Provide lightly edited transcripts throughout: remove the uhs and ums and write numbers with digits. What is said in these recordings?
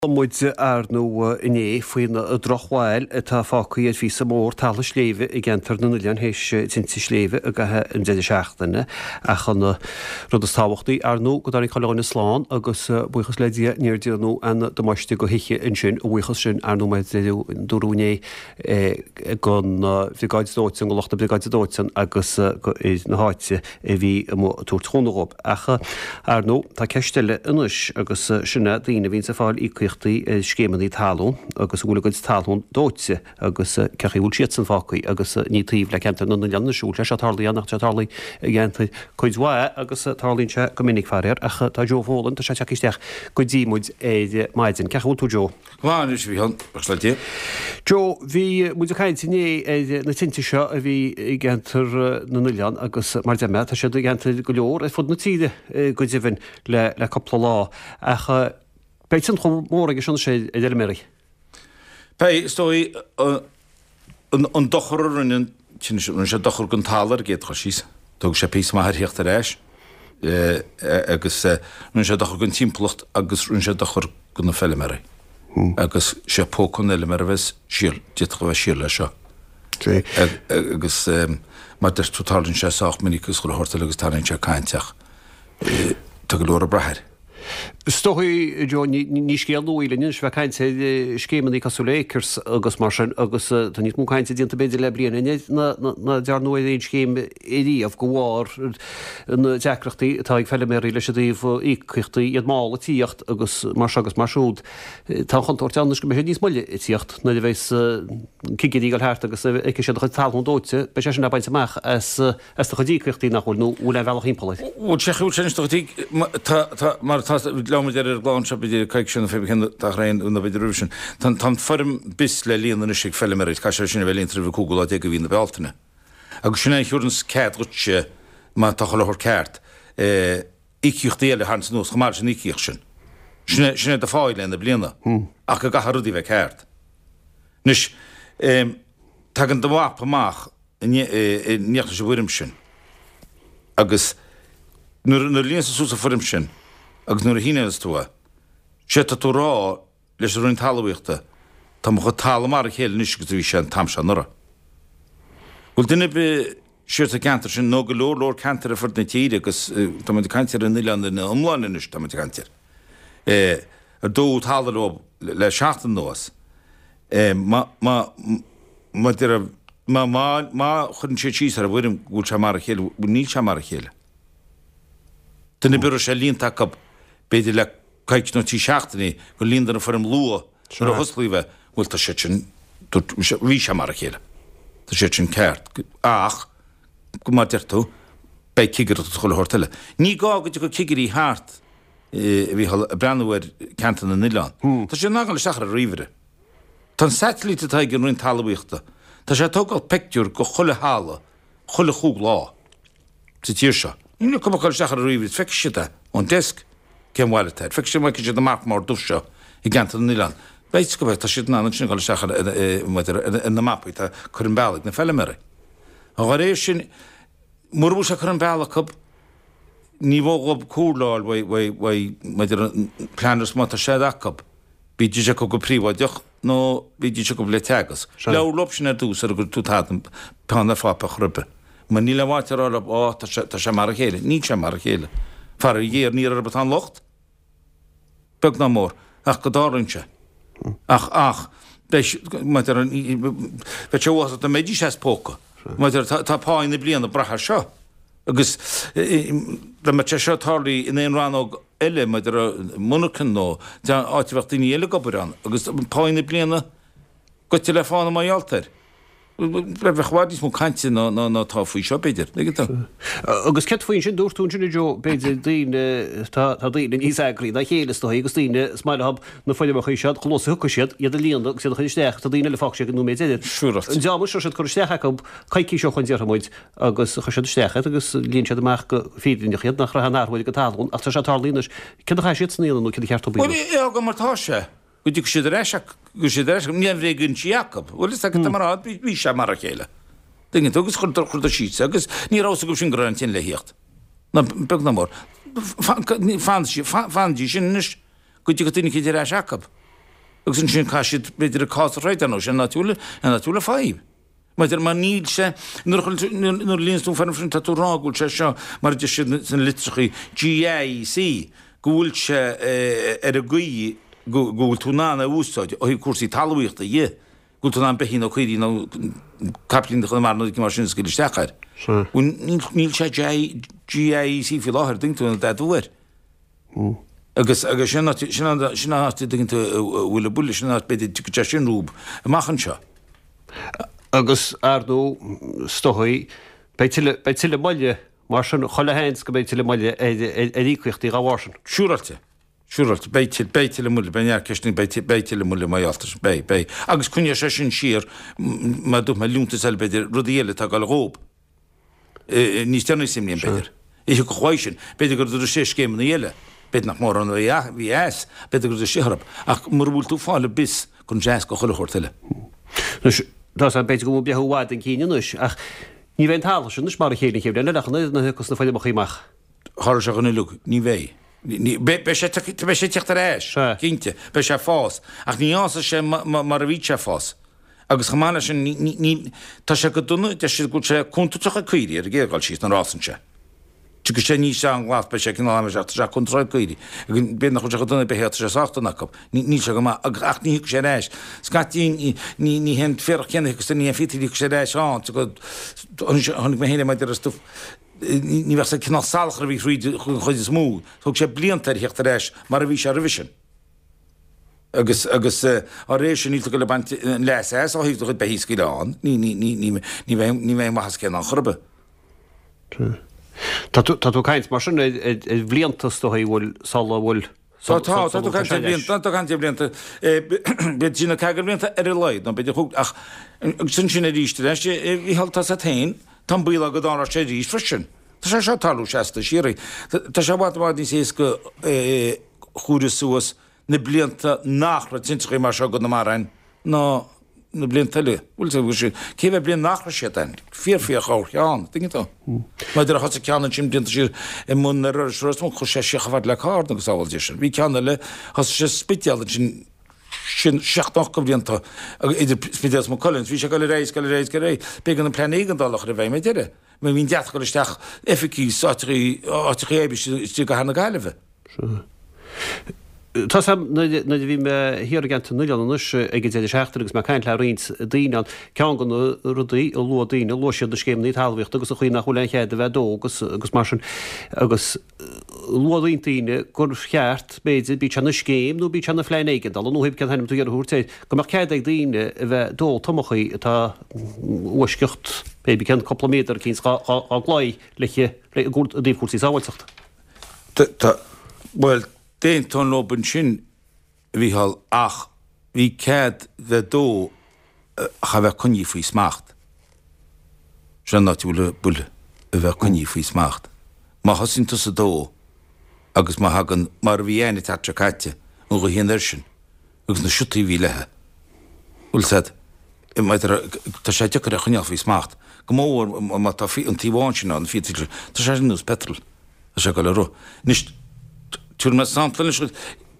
Muid ar ndóigh inné faoin drochbhail atá fágtha ar phíosa mór talamh sléibhe i gceantar na nOileán théis tinte sléibhe i gcaitheamh an deireadh seachtaine. Ach an rud is tábhachtaí, ar ndóigh, go dtáinig chuile dhuine slán agus buíochas le Dia níor déanadh aon damáiste do thithe ansin. A bhuíochas sin, ar ndóigh, mar a dúradh inné, don Bhriogáid Dóiteáin, do lucht na Briogáide Dóiteáin agus do fhir na háite a bhí amuigh ag tabhairt chúnamh dhóibh. Ach, ar ndóigh, tá ceist eile anois agus sin é daoine a bhíonns ag fáil íocaíochtaí ar scéimeanna talún agus a bhfuil a gcuid talún dóite agus cén chaoi a bhfuil siadsan fágtha agus ní taobh le ceantar na nOileán anois a bhfuil sé seo tarlaithe ann ach tá sé tarlaithe i gceantair cuid mhaith agus tarlaíonn sé go minic faraor. Ach tá Joe Folan, tá sé tagtha isteach go dtí muid ar maidin. Cén chaoi a bhfuil tú Joe? Go maith anois, a Mhícheáil, buíochas le Dia. Joe, bhí muid ag caint inné ar na tinte seo a bhí i gceantar na nOileán agus mar deir mé, tá siad i gceantair go leor ar fud na tíre go deimhin le le cúpla lá. Ach beidh tionchar mór aige seo anois ar fheilméaraí. Beidh, is dóigh, an dochar a rinne an tine sin, rinne sé dochar don talamh ar an gcéad chur síos, tógfaidh sé píosa maith air theacht ar ais agus rinne sé dochar don timpeallacht agus rinne sé dochar do na feilméaraí. Agus sé póca an fheilméara a bheas siar, d'fhéadfadh a bheith siar leis seo. Agus mar deir tú tarlaíonn sé sách minic agus chuile shórt eile agus tarlaíonn sé caint ach tá go leor ag brath air. Is dóigh, Joe, ní scéal nua í linn anois a bheith ag caint ar scéimeanna cosúil le Acres agus mar sin agus tá níos mó cainte déanta b'fhéidir le bliain anois ná dearnadh ar aon scéim ariamh de bharr na deacrachtaí atá ag feilméaraí leis an dtaobh íocaíochtaí, iad mall ag tíocht agus mar seo agus mar siúd. Tá an chontúirt ann anois go mbeidh siad níos moille ag tíocht nuair a bheas cigirí ag dul thart agus feicfidh siad do chuid talún dóite, beidh sé sin le baint amach as As do chuid íocaíochtaí nach bhfuil, nó bhfuil aon bhealach thimpeall air? Bhuel, sé chúis anois do chuid tá, tá, mar atá, labhair muid air ar an gclár anseo b'fhéidir coicís nó fé cheann dá thréan nó b'fhéidir roimhe sin. Tá, tá an foirm BIS le líonadh anois ag feilméaraí, caithfidh sé sin a bheith líonta roimh an cúigiú lá déag de mhí na Bealtaine. Agus sin é a thabharanns cead dhuitse, má tá chuile shórt ceart, íocaíochtaí eile a tharraingt anuas chomh maith leis an íocaíocht sin. Sin é, sin é do phá i leith na bliana. Ach go gcaithfidh rudaí a bheith ceart. Anois, tagann do mhapa amach in éineacht leis an bhfoirm sin agus nuair a líonanns tú suas an foirm sin agus nuair a shíneoidh tú é, sé tá tú a rá leis an Roinn Talmhaíochta, tá mo chuid talamh mar a chéile anois agus a bhí sé an t-am seo anuraidh. Bhfuil duine ar bith siar sa gceantar sin nó go leor leor ceantair ar fud na tíre agus tá muid ag caint ar an oileán ina iomláine anois, tá muid ag caint air, ar dódh talamh leo le seachtain anuas. Má, má, má deir, má, má, má chuireann siad síos ar an bhfoirm go bhfuil sé mar a chéile, bhuel níl sé mar a chéile. Duine ar bith a raibh sé líonta acu, b'fhéidir le coicís nó trí seachtainí, gur líonadar an foirm luath nuair a thosnaigh bheith, bhuel tá siad sin, bhí sé mar a chéile. Tá siad sin ceart. Ach, mar deir tú, beidh cigireacht agus chuile shórt eile. Ní gá go dtiocfadh cigirí thart a Mhícheáil, ag breathnú ar ceantar na n-oileán. Tá siad in ann a ghabháil isteach ar an ríomhaire. Tá an satailít atá ag an Roinn Talmhaíochta, tá sé ag tógáil pictiúr de chuile thalamh chuile chúig lá sa tír seo. Níl acu ach a ghabháil isteach ar an ríomhaire is feicfidh siad é ón desk cén bhail atá air. Feicfidh siad, feicfidh siad an marc mór dubh seo i gceantar na n-oileán. Beidh, tá siad in ann ansin a ghabháil isteach ar, ar na mapaí atá curtha ar an bealach ag na feilméaraí. Dá réir sin, mura bhfuil sé curtha ar an bealach acu, Ní mó dhóibh comhairle a fháil uaidh maidir le planners má tá sé acu. Bídís acu go príobháideach nó bídís acu le Teagasc. Labhair leo sin ar dtús sara gcuirfidh tú tada peann ar pháipéar chor ar bith. Mar níl aon mhaith a rá leo, Á, tá sé, tá sé mar a chéile. Níl sé mar a chéile. Faraor géar, ní orthu atá an locht. Beag ná mór. Ach go dtarlaíonn sé. Ach, ach, beidh, maidir, bheadh sé uafásach dá mbeidís as póca. Maidir, tá, tá pá na bliana ag brath air seo. Agus dá mbeadh sé seo tarlaithe in aon rannóg eile, maidir le monarchan nó áit a bheadh daoine eile ag obair ann, agus pá na bliana goite le fána mar gheall air. Bheadh i bhfad níos mó cainte ná atá faoi seo, b'fhéidir. Tuigeann tú? Agus céard faoi ansin, dúirt tú ansin, a Joe, b'fhéidir daoine, tá daoine níos eagraí ná a chéile is dóigh, agus daoine, is maith leo na foirmeacha seo, chomh luath is a thiocfaidh siad, iad a líonadh agus iad a chur isteach, tá daoine eile fágfaidh siad go nóiméad deiridh. Siúráilte. An dream seo siad curtha isteach acu coicís ó shoin déarfaidh muid, agus chuir siad isteach iad agus líon siad amach go fírinneach iad, nach raibh aon athrú ar a gcuid talún, ach tá sé tarlaithe anois. Céard a chaithfidh siadsan a dhéanamh nó céard a cheart dóibh a Bhuel, dhéanamh? é a fhágáil mar atá sé, go dtiocfaidh siad ar ais, go dtiocfaidh siad ar ais, níl aon bhréag-insí acu. Bhuel, is ea, mar a bhí sé mar a chéile. Tuigeann tú, agus chuireadar síos é, agus ní raibh fhios acu sin go raibh an tine le thíocht. Ná beag ná mór. Fanfaidís sin anois go dtiocfaidh duine eicínt ar ais acu. Agus ansin caithfidh siad, b'fhéidir, a cás a throid, ar ndóigh, sin an áit a bhfuil, an áit a bhfuil an fadhb. Maidir, mar níl sé, nuair a chuireann tú, nuair a líonann tú an foirm sin, tá tú ag rá go bhfuil sé seo, mar a deir siad sna litreachaí, GAEC, go bhfuil sé ar an gcaoi go bhfuil tú in ann é a úsáid ó thaobh cúrsaí talmhaíochta dhe, go bhfuil tú in ann beithígh nó caoirigh nó caiplíní Chonamara nó rud mar sin a scaoileadh isteach air. Bhuel, níl sé GAEC faoi láthair, an dtuigeann tú, an dtú air. Agus, agus sin an áit, sin an, sin an áit a dtuigeann tú a bhfuil an buille, sin an áit b'fhéidir dtiocfaidh sé sin rompu amach anseo. Agus, ar ndóigh, is dóigh, beidh tuilleadh, beidh tuilleadh moille, mar sin, chuile sheans go mbeidh tuilleadh moille ar, ar, ar íocaíochtaí dá bharr sin. Siúráilte. Siúráilte. Beidh tuilleadh, beidh tuilleadh moille, beidh neart ceisteanna, beidh, beidh tuilleadh moille mar gheall air sin, beidh, beidh. Agus coinneoidh sé sin siar, mar a dúirt mé, liúntais eile b'fhéidir, rudaí eile atá ag dul dhób. Níos deireanaí sa mbliain, b'fhéidir. Ní thiocfadh uaidh sin. B'fhéidir go raibh sé scéimeanna eile. B'fhéidir nach mórán a bhí as. B'fhéidir go raibh sé orthu. Ach mura bhfuil tú ag fáil an bis, cuireann sé as go chuile shórt eile. Anois, tá 's agam, b'fhéidir go bhfuil breithiú i bhfad chun cinn anois, ach ní bheidh an talamh sin anois mar a chéile an chéad bhliain eile ach an oiread nuair a thiocfas na foirmeacha amach. Tharla sé dhon uileag. Ní bheidh. Beidh sé ag teacht ar ais, cinnte. Beidh sé ag fás. Ach ní fhásfaidh sé mar a bhí sé ag fás. Agus chomh maith leis sin, ní, ní, tá sé go dona, deir siad go bhfuil sé contúirteach ag caoirigh ar an gcéad dhul síos nuair a fhásann sé. Tiocfaidh sé aníos an-ghlas, beidh sé cineál amaiseach, tá sé contúirteach ag caoirigh. Agus b'fhéidir nach bhfuil sé chomh dona ag beithígh, tá sé sách dona acu. Ní, níl sé go maith, agus, ach ní thiocfaidh sé ar ais. Scaití, ní, ní, ní hé an féarach céanna a thiocfas, ní hé an phiotaí a thiocfas sé ar ais ann. Tá go, chonaic mé féin é maidir le stuif, ní, ní bheadh sé cineál salachar a bhí thríd an chuid is mó. Thóg sé blianta air a theacht ar ais mar a bhí sé roimhe sin. Agus, agus, á réir sin, níl tú ag dul ag baint an leas as ó thaobh do chuid beithígh a scaoileadh ann. Ní, ní, ní, ní, ní bheidh, ní bheidh an mhaitheas céanna ann chor ar bith. Tá tú, tá tú ag caint mar sin ar, ar, ar bhlianta is dóigh a bhfuil, sula bhfuil, Tá, tá, tá tú ag caint ar bhlianta, tá tú ag caint ar bhlianta, b'fhéidir trí nó ceathair de bhlianta ar a laghad, nó b'fhéidir chúig, ach agus ansin arís ar ais, a Mhícheáil, tá 's a't féin, tá an baol ann go dtarlódh sé arís freisin. Tá sé seo ag tarlú seasta síoraí. Tá sé i bhfad, i bhfad níos éasca comhaireamh suas na blianta nach raibh tintreachaí mar seo i gConamara ann ná na blianta eile. Bhfuil fhios agat, cé mhéad bliain nach raibh siad ann? Fíor fíor cheann, tuigeann tú? Maidir a thosaigh ceann ansin blianta siar i mbun ar Iorrais Ros Muc, chuaigh sé siar chomh fada le Carna agus sábháil Dia sinn. Bhí ceann eile, thosaigh sé sa Spidéal ansin sin 70 de bhlianta idir Spidéal is Maigh Cuilinn, bhí sé ag dul ar aghaidh is ag dul ar aghaidh is ag dul ar aghaidh. B'éigean an plean éigeandála a chur i bhfeidhm ar deireadh. Mar bhí an deatach ag dul isteach oifigí is áiteachaí áiteachaí oibre istigh i gcathair na Gaillimhe. Sea. Tá 's a'm, nuair a bhí mé thiar i gceantar na n-oileán anois ag an deireadh seachtaine agus mé ag caint le roinnt daoine ann, ceann de na rudaí a luaigh daoine, luaigh siad na scéimeanna talmhaíochta agus an chaoi nach bhfuil aon chead a bheith ag dó agus agus mar sin agus luaigh roinnt daoine gur cheart, b'fhéidir, bíodh sé ina scéim nó bíodh sé ina phlean éigeandála nó pé cén t-ainm atá tú ag iarraidh a thabhairt air, go mbeadh cead ag daoine a bheith ag dó tomachaí atá i bhfoisceacht, pé cén cúpla méadar eicínt dhá gclaí le i dtaobh cúrsaí sábháilteachta. Tá, bhuel, d'aontóinn leob ansin, a Mhícheáil, ach bhí cead bheith ag dó ach a bheith coinnithe faoi smacht. Sin an áit a bhfuil an buille, a bheith coinnithe faoi smacht. Má thosaíonn tusa ag dó agus má thagann, mar a bhí a'inn an tseachtain seo caite, an ghaoth anoir sin, agus na siotaí a bhí léithe. Bhfuil 's a'd, maidir, tá sé deacair a choinneáil faoi smacht, go mór má tá an taobh amháin sin ann, an fiatal, tá sé ar nós petrol, tá sé ag dul ag rith. Anois, tabharfaidh mé sampla anois dhuit,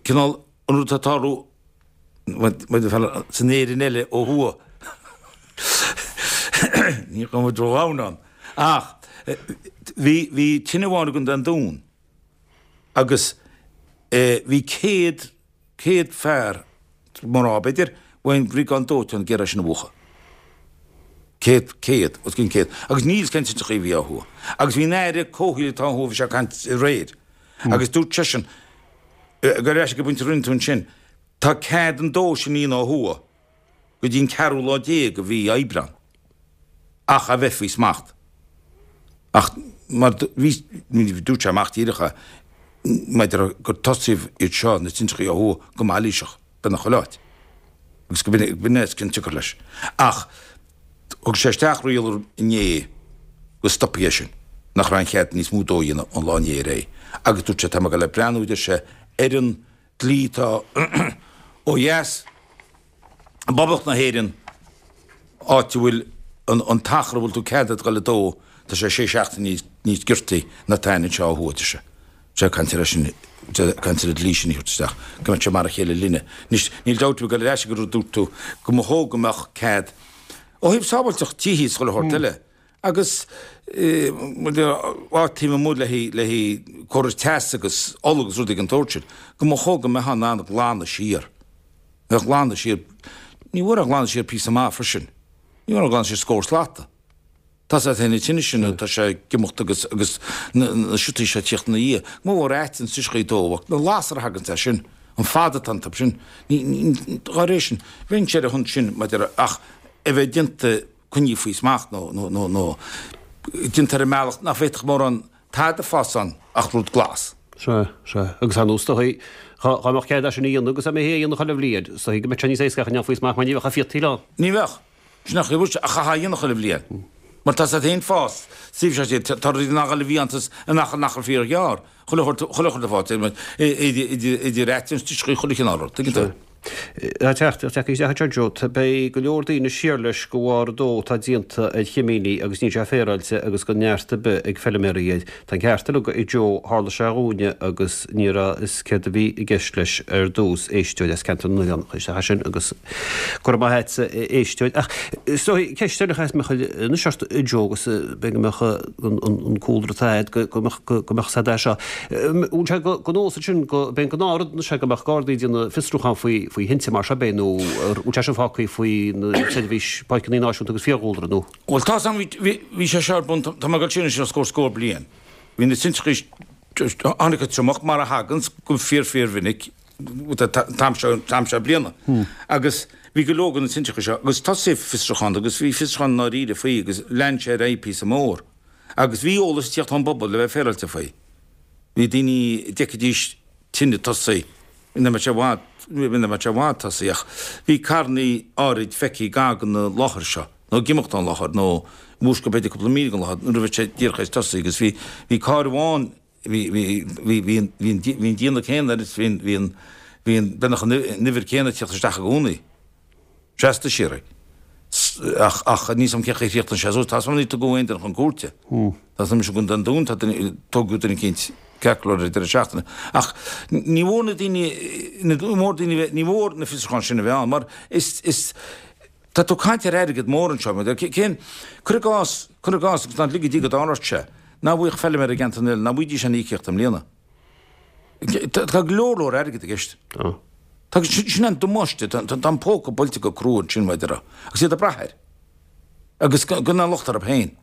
cineál an rud atá ag tarlú maidir san Éirinn eile ó thuaidh, ní raibh muid ródhomhain ann, ach bhí, bhí tine amháin i gContae an Dúin agus bhí 100, 100 fear, mná b'fhéidir, ón mbriogáid dóiteáin ag iarraidh sin a mhúchadh. 100, 100, os cionn 100. Agus níl 's cén tintreachaí a bhí ó thuaidh. Agus bhí an Aire Comhshaoil atá ó thuaidh, bhí sé ag caint aréir. Agus dúirt seisean, ag ar ais ag an bpointe a rinne tú ansin, tá cead an dó sin a dhéanamh ó thuaidh go dtí an ceathrú lá déag de mhí Aibreán. Ach a bheith faoi smacht. Ach mar bhí, dúirt sé amach díreach é, maidir gur tosaíodh iad seo, na tintreachaí ó thuaidh, go mailíseach, beagnach chuile áit. Agus go b'in é is cionsiocair leis. Ach thug sé isteach riail inné go stopfaí é sin, nach raibh aon chead níos mó dó a dhéanamh ón lá inné ar aghaidh. Agus dúirt sé, tá mé ag dul ag breathnú, a deir sé, ar an dlí atá ó dheas i bPoblacht na hÉireann, áit a bhfuil an t-achar a bhfuil tú ceadaithe dul ag dó, tá sé sé seachtaine níos giortaí ná atá anseo ó thuaidh, a deir sé. Sé caint ar sin, caint ar an dlí sin a thabhairt isteach, go mbeadh sé mar a chéile linne. Anois, níl dabht ar bith ag dul ar ais ag an rud a dúirt tú, go mba chóir go mbeadh cead, ó thaobh sábháilteacht tithe is chuile shórt eile, agus áit taobh amuigh le haghaidh córas teasa agus ola agus rudaí den tsórt sin, go mba chóir go mbeifeá in ann glanadh siar. Bheadh glanadh siar, ní mhór a ghlanadh siar píosa maith freisin. Ní mór a ghlanadh siar scór slata. Tá sé féin an tine sin tá sé ag imeacht agus agus na siotaí seo ag tíocht ina dhiaidh. Go mba mhór aiteann sa chaoi dó ach na lasair a thaganns as sin, an fad atá an tob sin, ní, ní, dá réir sin, bheinnse ar a shon sin maidir ach a bheith déanta coinnithe faoi smacht nó, nó, nó, nó déanta ar an mbealach nach bhféadfadh mórán tada fás ann ach rud glas. Sea, sea. Agus ar nós, is dóichí, dhá mbeadh cead é sin a dhéanamh agus dá mbeifí é a dhéanamh chuile bhliain, is dóichí go mbeadh sé níos éasca ach a ndéanfaí faoi smacht mar ní bheadh fiotaíl ann. Ní bheadh. Sin nach bhfuil sé ach chaithfeá a dhéanamh chuile bhliain. Mar tá sé féin fás, suíomh sé siad, tá rudaí nach bhfuil a bhfiántas in achar in achar fíorghearr, chuile shórt, chuile shórt ag fás, idir aiteann is toiscí, chuile chineál rud, tuigeann tú. Tá teachtaireacht tagtha isteach anseo Joe, beidh go leor daoine siar leis de bharr an dó atá déanta ar chimíní agus níl sé féaráilte agus gan neart ar bith ag feiliméaraí air. Tá an ceart uilig ag Joe, tharla sé dhúinne agus ní raibh fhios céard a bhí i gceist leis ar dtús, éisteoir as Ceantar na nOileán a chuir isteach é sin agus go raibh maith a't a éisteoir. Ach is dóigh, ceist eile a chaithfeas mé a chur anois ort a Joe agus b'fhéidir go mbeadh an cúlra atá agat go mbeadh go mbeadh fhios agat é seo. Bhfuil sé de nós ansin go b'é an gnáthrud anois é go mbeadh Gardaí ag déanamh fiosrúchán faoi faoi thinte mar seo b'é nó bhfuil sé sin fágtha faoi na seirbhís páirceanna náisiúnta agus fiadhúlra nó? Bhuel, tá's a'm, bhí sé seo ar bun, tá mé ag dul siar anois os comhair scór bliain. Bhí na tintreachaí, tháinig an triomach mar a thaganns go fíor fíor mhinic an t-am seo, an t-am seo bliana. Agus bhí go leor de na tintreachaí seo agus tosaíodh fiosrúchán agus bhí fiosrúchán ndáiríre faoi agus lean sé ar aghaidh píosa mór. Agus bhí eolas ag tíocht ón bpobal le bheith féaráilte faoi. Bhí daoine, d'fheicfidís tine tosaigh, nach mbeadh sé i bhfad, nach mbeadh sé i bhfad tosaigh ach bhí carrannaí áirid feicthe gar don láthair seo, nó ag imeacht ón láthair, nó i bhfuaisceart b'fhéidir cúpla míle den láthair nuair a bhí sé díreach tar éis tosaí agus bhí, bhí carr amháin, bhí, bhí, bhí, bhí an, bhí an, bhí an déanamh céanna air is bhí an, bhí an, bhí an, beagnach an uimhir céanna ag tíocht isteach i gcónaí. Trasna siar é. Ach, ach níl 's a'm cén chaoi a chríochnaigh sé suas. Tá 's a'm níor tugadh aon duine chun cúirte. Tá 's a'm i gContae an Dúin tá duine, tógadh duine eicínt ceart go leor ar an deireadh seachtaine. Ach ní mhór na daoine, ní mhór daoine bheith, ní mhór na fiosrúcháin sin a bheith ann mar is, is, tá tú ag caint ar airgead mór anseo. Cén, cuir i gcás, cuir i gcás agus ná lige Dia go dtarlódh sé, nach bhfaigheadh feilméara i gceantar na n-oileán, nach bhfaighidís aon íocaíocht i mbliana. Tá go leor leor airgid i gceist. Tá. Tá, sin an damáiste, tá an póca buailte go crua ansin, mar a déarfá, agus iad ag brath air. Agus gan aon locht orthu féin.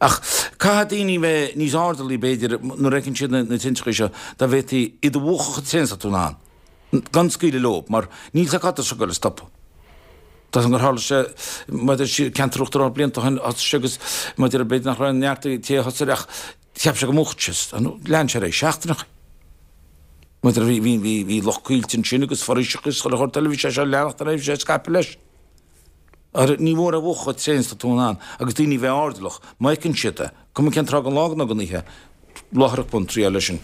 Ach caithfidh daoine bheith níos airdeallaí, b'fhéidir, nuair a fheiceann siad na tintreachaí seo, dá bhféadfaí iad a mhúchadh chomh tréan is atá tú in ann, gan scaoileadh leo, mar níl sé cá tá seo ag goil a stopadh. Tá gur tharla sé, maidir le ceantar Uachtar Ard blianta ó shin, thosaigh sé agus, maidir le, b'fhéidir nach raibh neart ag an té a thosaigh ach, Cheap sé go múchfadh sé, lean sé ar aghaidh seachtaineacha. Maidir bhí, bhí, bhí, bhí lucht coillte ansin agus foraoiseacha agus chuile shórt eile, bhí sé seo ag leanacht ar aghaidh, bhí sé ag scaipeadh leis. Ara, ní mhór é a mhúchadh chomh tréan is atá tú in ann agus daoine a bheith airdeallach, má fheiceann siad é, cuma cén tráth den lá nó den oíche, láithreach bonn triáil leis sin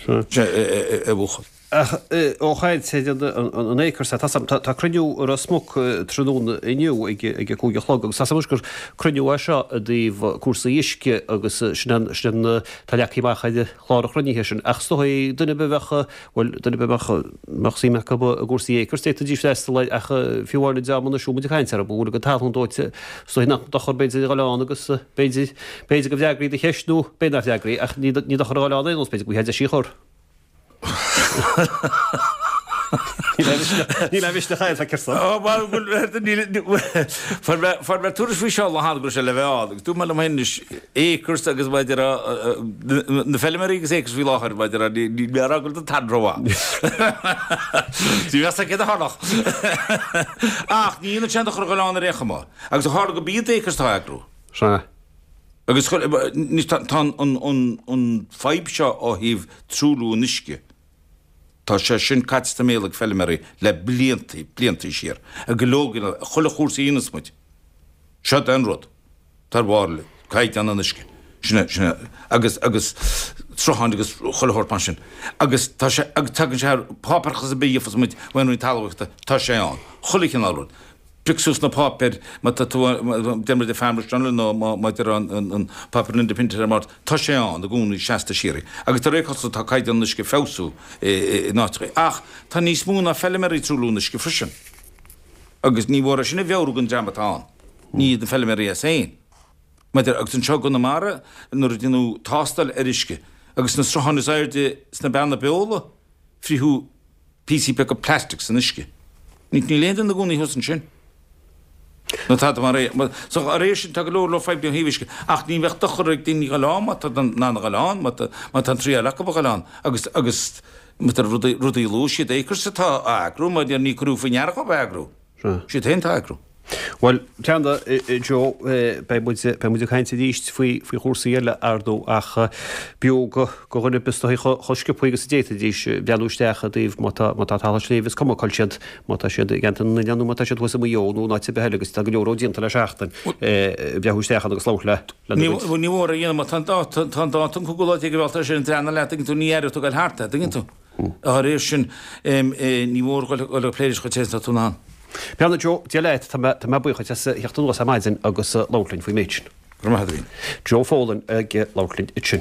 é a mhúchadh. Ach ó chaint ar an Acres, tá cruinniú i Ros Muc tráthnóna inniu ag a 5 a chlog agus tá 's agam anois gur cruinniú é seo i dtaobh cúrsaí uisce agus sin an, sin an, tá leagtha amach ar chlár an chruinnithe sin. Ach is dóigh duine ar bith a bheadh, bhuel, duine ar bith a mbeadh, mbeadh suim acu i gcúrsaí Acres d'fhéadfaidís freastal air ach fiú amháin an dream anois a bhfuil muid ag caint orthu, a bhfuil a gcuid talún dóite, is dóigh nach dochar b'fhéidir a dhul ann agus b'fhéidir, b'fhéidir go bhfreagraí do cheist nó b'fhéidir nach bhfreagraí ach ní dochar a dhul ann aon nós, b'fhéidir go bhfaighfeá deis í a chur. Níl aon mhisneach air, feictear dom. Ó, mar go bhfuil, fuair mé tuairisc faoi seo lá cheana go raibh sé le bheith ann, agus dúirt mé liom féin anois, Acres agus maidir na feilméaraí agus Acres faoi láthair, maidir níl mé a rá go bhfuil an t-am rómhaith. Ní bheadh céad a tharlach. Ach ní dhéanann sé aon dochar a dhul ann ar aon chuma. Agus ó tharla gurb iad Acres atá á eagrú. Sea. Agus anois tá an fadhb seo ó thaobh truailliú an uisce, tá sé sin caite sa mbéal ag feilméaraí le blianta, blianta siar. Ag go leor, chuile chúrsa a dhéanas muid, seo é an rud atá ar bharr le caighdeán an uisce, sin é, sin é, agus, agus srutháin agus chuile shórt mar sin. Agus tá sé, agus tagann sé ar páipéarachas ar bith a gheofas muid ón Roinn Talmhaíochta, tá sé ann, chuile chineál rud. Pioc suas na páipéir, má tá tú, deir muid The Farmers Journal nó má deir an páipéar an Independent ar an mbord, tá sé ann i gcónaí seasta síoraí. Agus de réir cosúlachta tá caighdeán an uisce ag feabhsú in áiteacha. Ach tá níos mó ná feiliméaraí ag truailliú an uisce freisin. Agus ní mhór é sin a mheabhrú don dream atá ann. Ní iad na feiliméaraí as féin. Maidir, agus anseo i gConamara nuair a déanadh tástáil ar uisce agus na srutháin is airde sna Beanna Beola, frítheadh píosaí beaga plastic san uisce. Níl aon duine ina gcónaí thuas ansin. Nó tada mar é. So dá réir sin tá go leor leor fadhbanna ó thaobh uisce. Ach ní bheadh dochar ag daoine a dhul ann má tá in ann a dhul ann, má tá má tá an triail acu a dhul ann. Agus agus má tá rudaí rudaí a luaigh siad Acres atá á eagrú, mar ní cuireadh faoi ndeara dhóibh a eagrú. Sea. Siad féin atá á eagrú. Bhuel, Breandán, Joe, beidh muid, beidh muid ag caint arís faoi, faoi chúrsaí eile, ar ndóigh, ach b'fhiú go, go dhuine ar bith is dóigh chomh sciobtha agus a d'fhéadfaidís breathnú isteach i dtaobh má tá, má tá talamh sléibhe, is cuma cá bhfuil siad, má tá siad i gceantar na n-oileán nó má tá siad thuas i Maigh Eo nó in áit ar bith eile agus tá go leor déanta le seachtain, breathnú isteach ann agus labhairt le, lena Ní, gcuid. ní mór a dhéanamh má tá an dáta, tá an dáta an cúigiú lá déag de Bhealtaine sin an dream leat, tuigeann tú, ní aireoidh tú ag dul thart é, tuigeann tú. Dá réir sin, ní mór dhul ag plé leis chomh te is atá tú in ann. Breandán Joe, Dia leat, tá mé, tá mé buíoch duit as theacht anuas ar maidin agus labhairt linn faoin méid sin. Go raibh maith agat, a Mhín. Joe Folan ag labhairt linn ansin.